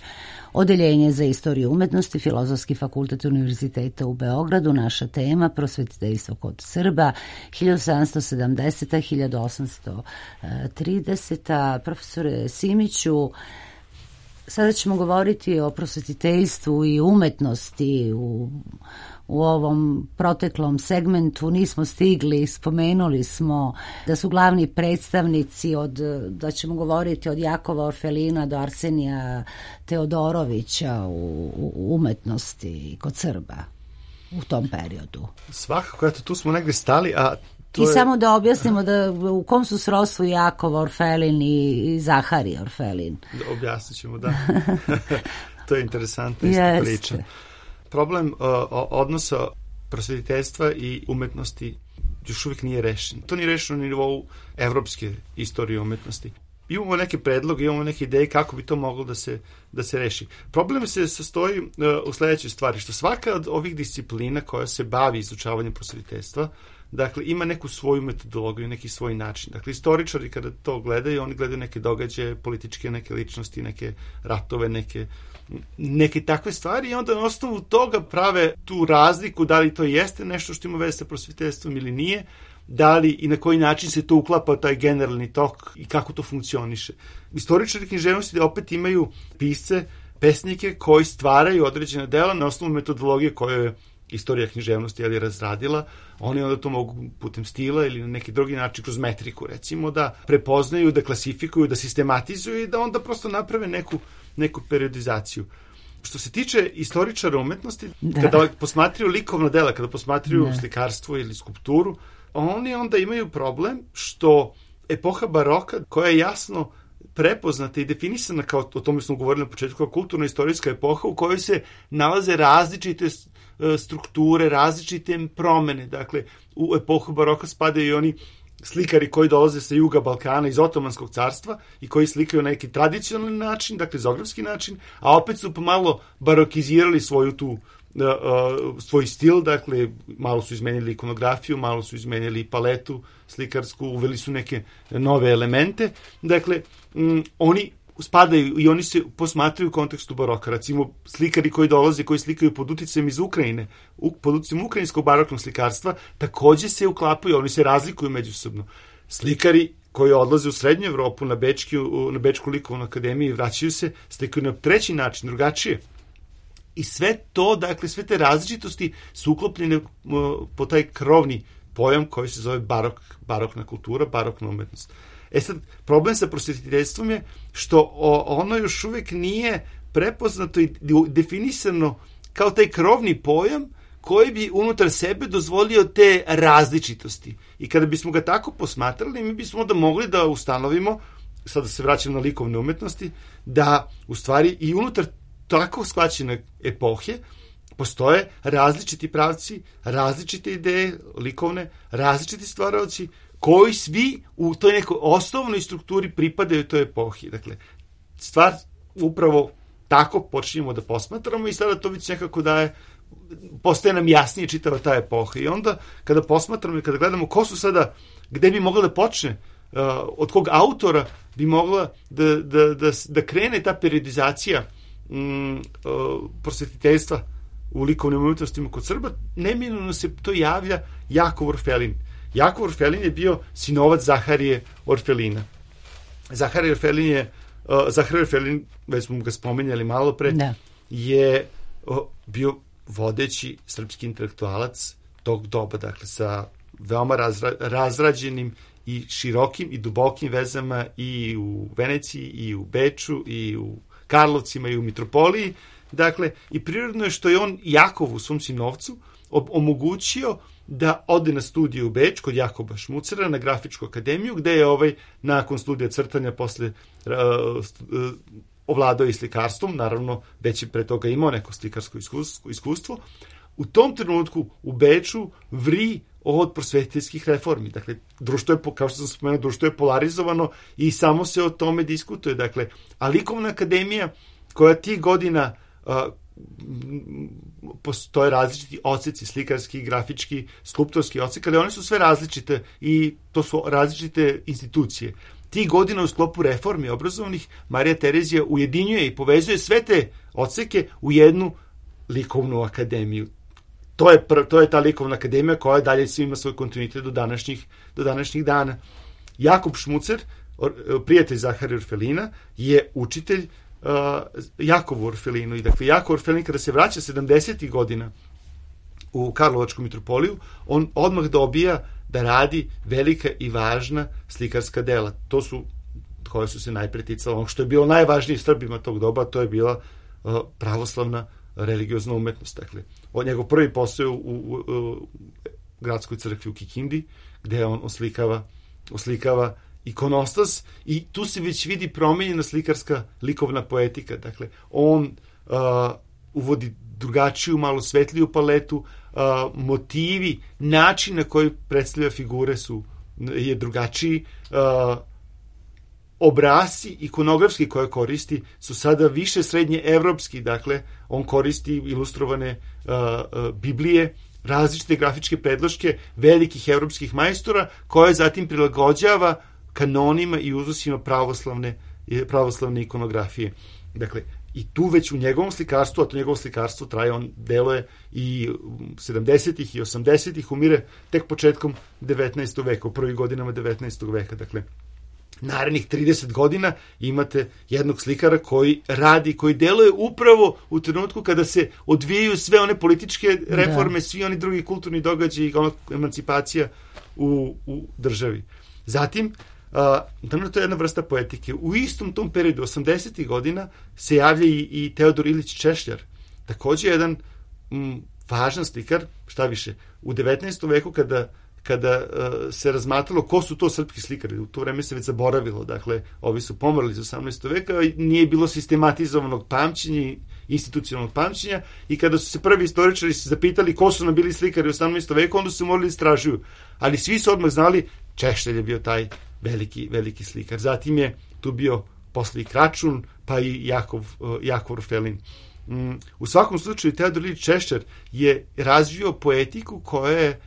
Odeljenje za istoriju umetnosti, Filozofski fakultet Univerziteta u Beogradu. Naša tema prosvetiteljstvo kod Srba hiljadu sedamsto sedamdeseta do hiljadu osamsto trideseta. Profesore Simiću, sada ćemo govoriti o prosvetiteljstvu i umetnosti u U ovom proteklom segmentu nismo stigli, spomenuli smo da su glavni predstavnici od, da ćemo govoriti od Jakova Orfelina do Arsenija Teodorovića u, u umetnosti kod Srba u tom periodu. Svakako, eto, tu smo negde stali, a to I je... samo da objasnimo da u kom su srodstvu Jakov Orfelin i Zaharije Orfelin. Da, objasnit ćemo, da. To je interesantna isto Jeste. priča. Problem uh, odnosa prosvetiteljstva i umetnosti još uvijek nije rešen. To nije rešeno na nivou evropske istorije umetnosti. Imamo neke predloge, imamo neke ideje kako bi to moglo da se, da se reši. Problem se sastoji uh, u sledećoj stvari, što svaka od ovih disciplina koja se bavi izučavanjem prosvetiteljstva, dakle, ima neku svoju metodologiju, neki svoj način. Dakle, istoričari kada to gledaju, oni gledaju neke događaje, političke neke ličnosti, neke ratove, neke neke takve stvari i onda na osnovu toga prave tu razliku da li to jeste nešto što ima veze sa prosvetiteljstvom ili nije, da li i na koji način se to uklapa taj generalni tok i kako to funkcioniše. Istoričari književnosti opet imaju pisce, pesnike koji stvaraju određena dela na osnovu metodologije koju je istorija književnosti ali razradila. Oni onda to mogu putem stila ili na neki drugi način kroz metriku recimo da prepoznaju, da klasifikuju, da sistematizuju i da onda prosto naprave neku neku periodizaciju. Što se tiče istoričara umetnosti, da. Kada posmatraju likovna dela, kada posmatraju da. Slikarstvo ili skulpturu, oni onda imaju problem što epoha baroka, koja je jasno prepoznata i definisana, kao o tome smo govorili na početku, kao kulturno-istorijska epoha u kojoj se nalaze različite strukture, različite promene. Dakle, u epohu baroka spadaju i oni slikari koji dolaze sa juga Balkana iz Otomanskog carstva i koji slikaju na neki tradicionalni način, dakle zografski način, a opet su pomalo barokizirali svoju tu uh, uh, svoj stil, dakle malo su izmenili ikonografiju, malo su izmenili paletu slikarsku, uveli su neke nove elemente, dakle um, oni spadaju i oni se posmatraju u kontekstu baroka. Recimo, slikari koji dolaze, koji slikaju pod uticajem iz Ukrajine, pod uticajem ukrajinskog baroknog slikarstva, takođe se uklapaju, oni se razlikuju međusobno. Slikari koji odlaze u Srednju Evropu na, Bečki, na Bečku likovnu akademiju i vraćaju se, slikaju na treći način, drugačije. I sve to, dakle, sve te različitosti su uklopljene po taj krovni pojam koji se zove barok, barokna kultura, barokna umetnost. E sad, problem sa prosvetiteljstvom je što ono još uvijek nije prepoznato i definisano kao taj krovni pojam koji bi unutar sebe dozvolio te različitosti. I kada bismo ga tako posmatrali, mi bismo onda mogli da ustanovimo, sada se vraćam na likovne umetnosti, da u stvari i unutar tako shvaćene epohe postoje različiti pravci, različite ideje likovne, različiti stvaraoci, koji svi u toj nekoj osnovnoj strukturi pripadaju toj epohi. Dakle, stvar upravo tako počinjemo da posmatramo i sada to već nekako daje, postaje nam jasnije čitava ta epoha. I onda kada posmatramo i kada gledamo ko su sada, gde bi mogla da počne, uh, od kog autora bi mogla da, da, da, da krene ta periodizacija um, uh, prosvetiteljstva u likovnim umetnostima kod Srba, neminovno se to javlja Jakov Orfelin. Jakov Orfelin je bio sinovac Zaharije Orfelina. Zaharije Orfelin je, uh, Zaharije Orfelin, već smo ga spomenjali malo pre, da. je uh, bio vodeći srpski intelektualac tog doba, dakle sa veoma razra, razrađenim i širokim i dubokim vezama i u Veneciji, i u Beču, i u Karlovcima, i u Mitropoliji. Dakle, i prirodno je što je on Jakovu, svom sinovcu, omogućio da ode na studiju u Beč kod Jakoba Šmucera na Grafičku akademiju, gde je ovaj nakon studija crtanja posle uh, uh, ovladao i slikarstvom, naravno već je pre toga imao neko slikarsko iskustvo, iskustvo. U tom trenutku u Beču vri od prosvetiteljskih reformi. Dakle, društvo je, kao što sam spomenuo, društvo je polarizovano i samo se o tome diskutuje. Dakle, a likovna akademija koja tih godina uh, postoje različiti odseci, slikarski, grafički, skulptorski odsek, ali one su sve različite i to su različite institucije. Tih godina u sklopu reformi obrazovnih Marija Terezija ujedinjuje i povezuje sve te odseke u jednu likovnu akademiju. To je, pr- to je ta likovna akademija koja dalje ima svoj kontinuitet do današnjih, do današnjih dana. Jakub Šmucer, prijatelj Zaharija Orfelina, je učitelj uh, Jakovu Orfelinu. I dakle, Jakov Orfelin kada se vraća sedamdesetih godina u Karlovačku mitropoliju, on odmah dobija da radi velika i važna slikarska dela. To su, koje su se najpre ticala, ono što je bilo najvažnije Srbima tog doba, to je bila uh, pravoslavna religiozna umetnost. Dakle, od njegov prvi posao u, u, u gradskoj crkvi u Kikindi, gde on oslikava, oslikava ikonostas i tu se već vidi promenjena slikarska likovna poetika. Dakle, on uh, uvodi drugačiju, malo svetliju paletu, uh, motivi, način na koji predstavlja figure su je drugačiji, uh, obrasci ikonografski koje koristi su sada više srednje evropski, dakle, on koristi ilustrovane uh, uh, Biblije, različite grafičke predloške velikih evropskih majstora, koje zatim prilagođava kanonima i uzusima pravoslavne, pravoslavne ikonografije. Dakle, i tu već u njegovom slikarstvu, a to njegovo slikarstvo traje, on deluje i sedamdesetih i osamdesetih, umire tek početkom devetnaestog veka, u prvih godinama devetnaestog veka. Dakle, narednih trideset godina imate jednog slikara koji radi, koji deluje upravo u trenutku kada se odvijaju sve one političke reforme, da. Svi oni drugi kulturni događaji i emancipacija u, u državi. Zatim, Uh, to je jedna vrsta poetike. U istom tom periodu, osamdesetih godina, se javlja i, i Teodor Ilić Češljar. Takođe jedan m, važan slikar, šta više, u devetnaestom veku kada, kada uh, se razmatralo ko su to srpski slikari, u to vreme se već zaboravilo, dakle, ovi su pomrli iz osamnaestog veka i nije bilo sistematizovanog pamćenja, institucionalnog pamćenja i kada su se prvi istoričari se zapitali ko su nam bili slikari u osamnaestom veku, onda su morali istražuju. Ali svi su odmah znali, Češljar je bio taj veliki, veliki slikar. Zatim je tu bio posle i Kračun, pa i Jakov, Jakov Orfelin. Um, u svakom slučaju, Teodor Ilić Češljar je razvio poetiku koja je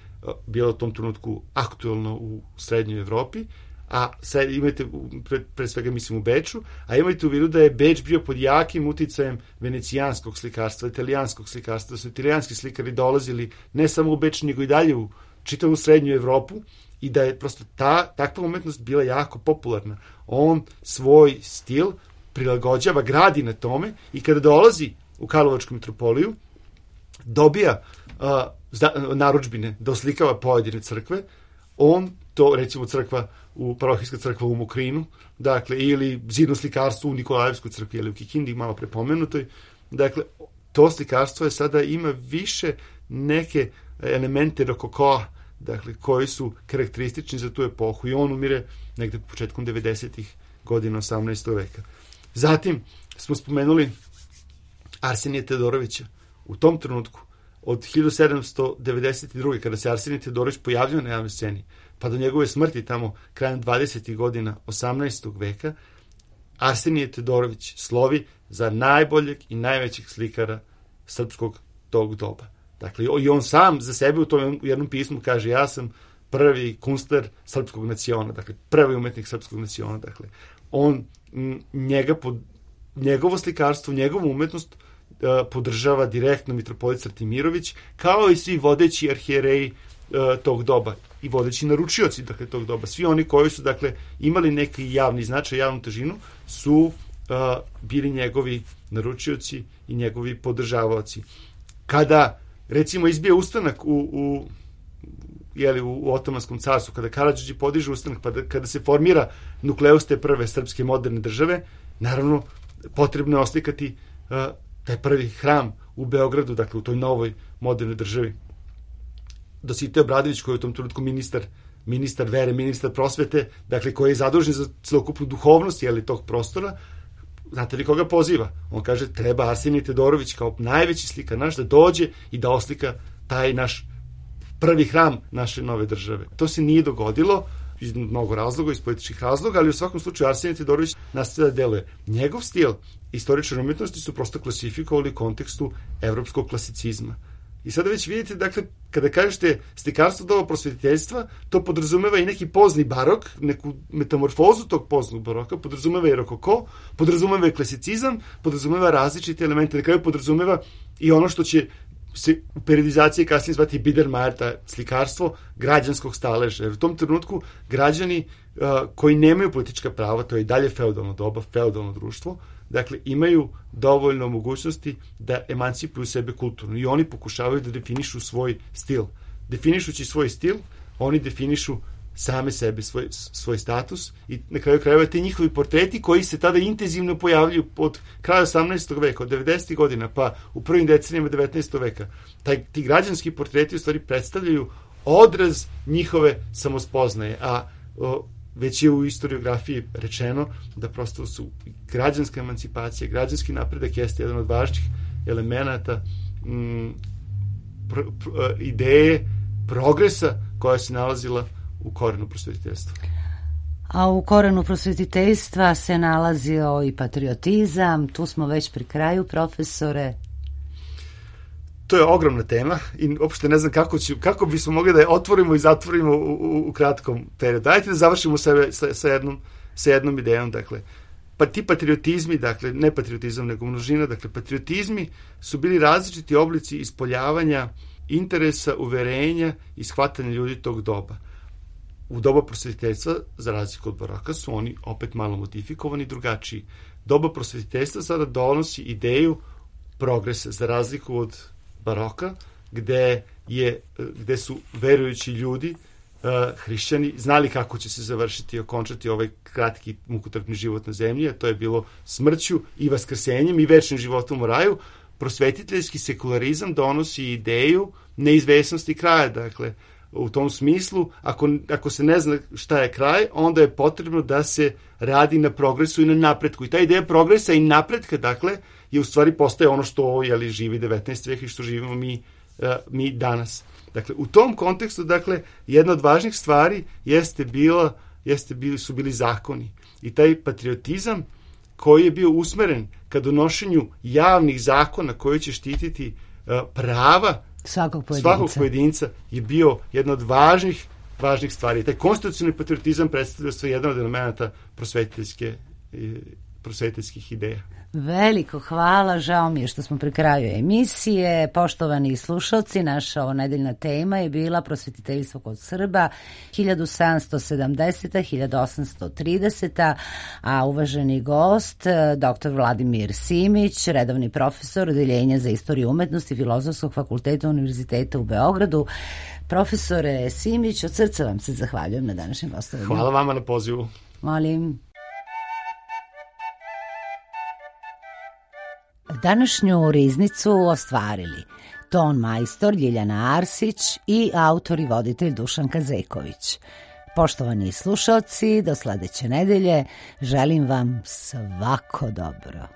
bila u tom trenutku aktuelna u srednjoj Evropi, a sad imate, pre, pre svega mislim u Beču, a imajte u vidu da je Beč bio pod jakim uticajem venecijanskog slikarstva, italijanskog slikarstva, da su italijanski slikari dolazili ne samo u Beč, nego i dalje u čitavu srednju Evropu, i da je prosto ta, takva umetnost bila jako popularna. On svoj stil prilagođava, gradi na tome i kada dolazi u Karlovačku mitropoliju, dobija uh, zda, narudžbine da oslikava pojedine crkve, on to, recimo crkva u parohijska crkva u Mokrinu, dakle, ili zidno slikarstvo u Nikolajevskoj crkvi ili u Kikindi, malo prepomenutoj, dakle, to slikarstvo je sada ima više neke elemente rokokoa, dakle, koji su karakteristični za tu epohu i on umire negde početkom devedesetih godina osamnaestog veka. Zatim smo spomenuli Arsenija Teodorovića. U tom trenutku, od hiljadu sedamsto devedeset druge kada se Arsenij Teodorović pojavljao na javnoj sceni, pa do njegove smrti tamo krajem dvadesetih godina osamnaestog veka, Arsenij Teodorović slovi za najboljeg i najvećeg slikara srpskog tog doba. Dakle, i on sam za sebe u tom jednom pismu kaže, ja sam prvi kunstner srpskog naciona, dakle, prvi umetnik srpskog naciona, dakle, on njega, pod, njegovo slikarstvo, njegovu umetnost uh, podržava direktno mitropolit Srtimirović, kao i svi vodeći arhijereji uh, tog doba i vodeći naručioci, dakle, tog doba. Svi oni koji su, dakle, imali neki javni značaj, javnu težinu, su uh, bili njegovi naručioci i njegovi podržavaoci. Kada recimo izbije ustanak u, u, jeli, u, u Otomanskom carstvu, kada Karadžić podiže ustanak, pa da, kada se formira nukleus te prve srpske moderne države, naravno potrebno je oslikati uh, taj prvi hram u Beogradu, dakle u toj novoj modernoj državi. Dositej Obradović, koji je u tom trenutku ministar, ministar vere, ministar prosvete, dakle koji je zadužen za celokupnu duhovnost, jeli, tog prostora, znate li koga poziva? On kaže, treba Arsenij Teodorović kao najveći slikar naš da dođe i da oslika taj naš prvi hram naše nove države. To se nije dogodilo, iz mnogo razloga, iz političkih razloga, ali u svakom slučaju Arsenije Todorović nastavlja da deluje. Njegov stil istorične umetnosti su prosto klasifikovali u kontekstu evropskog klasicizma. I sada već vidite, dakle, kada kažete slikarstvo doba prosvetiteljstva, to podrazumeva i neki pozni barok, neku metamorfozu tog poznog baroka, podrazumeva i rokoko, podrazumeva i klasicizam, podrazumeva različite elemente, na kraju podrazumeva i ono što će se u periodizaciji kasnije zvati Biedermeier, ta slikarstvo građanskog staleža. Jer u tom trenutku građani uh, koji nemaju politička prava, to je i dalje feudalno doba, feudalno društvo, dakle, imaju dovoljno mogućnosti da emancipuju sebe kulturno i oni pokušavaju da definišu svoj stil. Definišući svoj stil, oni definišu same sebe, svoj, svoj status i na kraju krajeva te njihovi portreti koji se tada intenzivno pojavljuju od kraja osamnaestog veka, od devedesetih godina, pa u prvim decenijama devetnaestog veka. Taj, ti građanski portreti u stvari predstavljaju odraz njihove samospoznaje, a o, već je u historiografiji rečeno da prosto su građanska emancipacija, građanski napredak jeste jedan od važnih elemenata m, pr, pr, ideje progresa koja se nalazila u korenu prosvetiteljstva. A u korenu prosvetiteljstva se nalazio i patriotizam, tu smo već pri kraju, profesore. To je ogromna tema i uopšte ne znam kako, ću, kako bismo mogli da je otvorimo i zatvorimo u, u, u kratkom periodu. Dajte da završimo sa, sa, sa, jednom, sa jednom idejom, dakle. Pa ti patriotizmi, dakle, ne patriotizam, nego množina, dakle, patriotizmi su bili različiti oblici ispoljavanja interesa, uverenja i shvatanja ljudi tog doba. U doba prosvetiteljstva, za razliku od baroka, su oni opet malo modifikovani i drugačiji. Doba prosvetiteljstva sada donosi ideju progresa, za razliku od baroka, gde, je, gde su verujući ljudi, uh, hrišćani, znali kako će se završiti i okončati ovaj kratki mukotrpni život na zemlji, a to je bilo smrću i vaskrsenjem i večnim životom u raju. Prosvetiteljski sekularizam donosi ideju neizvesnosti kraja, dakle, u tom smislu, ako, ako se ne zna šta je kraj, onda je potrebno da se radi na progresu i na napretku. I ta ideja progresa i napretka, dakle, je u stvari postaje ono što je živi devetnaesti vek i što živimo mi, uh, mi danas. Dakle, u tom kontekstu, dakle, jedna od važnih stvari jeste bila, jeste bili, su bili zakoni. I taj patriotizam koji je bio usmeren ka donošenju javnih zakona koji će štititi uh, prava svakog pojedinca. svakog pojedinca je bio jedna od važnih, važnih stvari. Taj konstitucionalni patriotizam predstavlja sve jedan od elementa prosvetiteljske, prosvetiteljskih ideja. Veliko hvala, žao mi je što smo pri kraju emisije. Poštovani slušalci, naša ovo nedeljna tema je bila prosvetiteljstvo kod Srba hiljadu sedamsto sedamdeseta do hiljadu osamsto trideseta, a uvaženi gost, doktor Vladimir Simić, redovni profesor Odeljenja za istoriju umetnosti Filozofskog fakulteta Univerziteta u Beogradu. Profesore Simić, od srca vam se zahvaljujem na današnjem gostovanju. Hvala vama na pozivu. Molim. Današnju riznicu ostvarili ton majstor Ljiljana Arsić i autor i voditelj Dušan Kazeković. Poštovani slušalci, do sledeće nedelje želim vam svako dobro.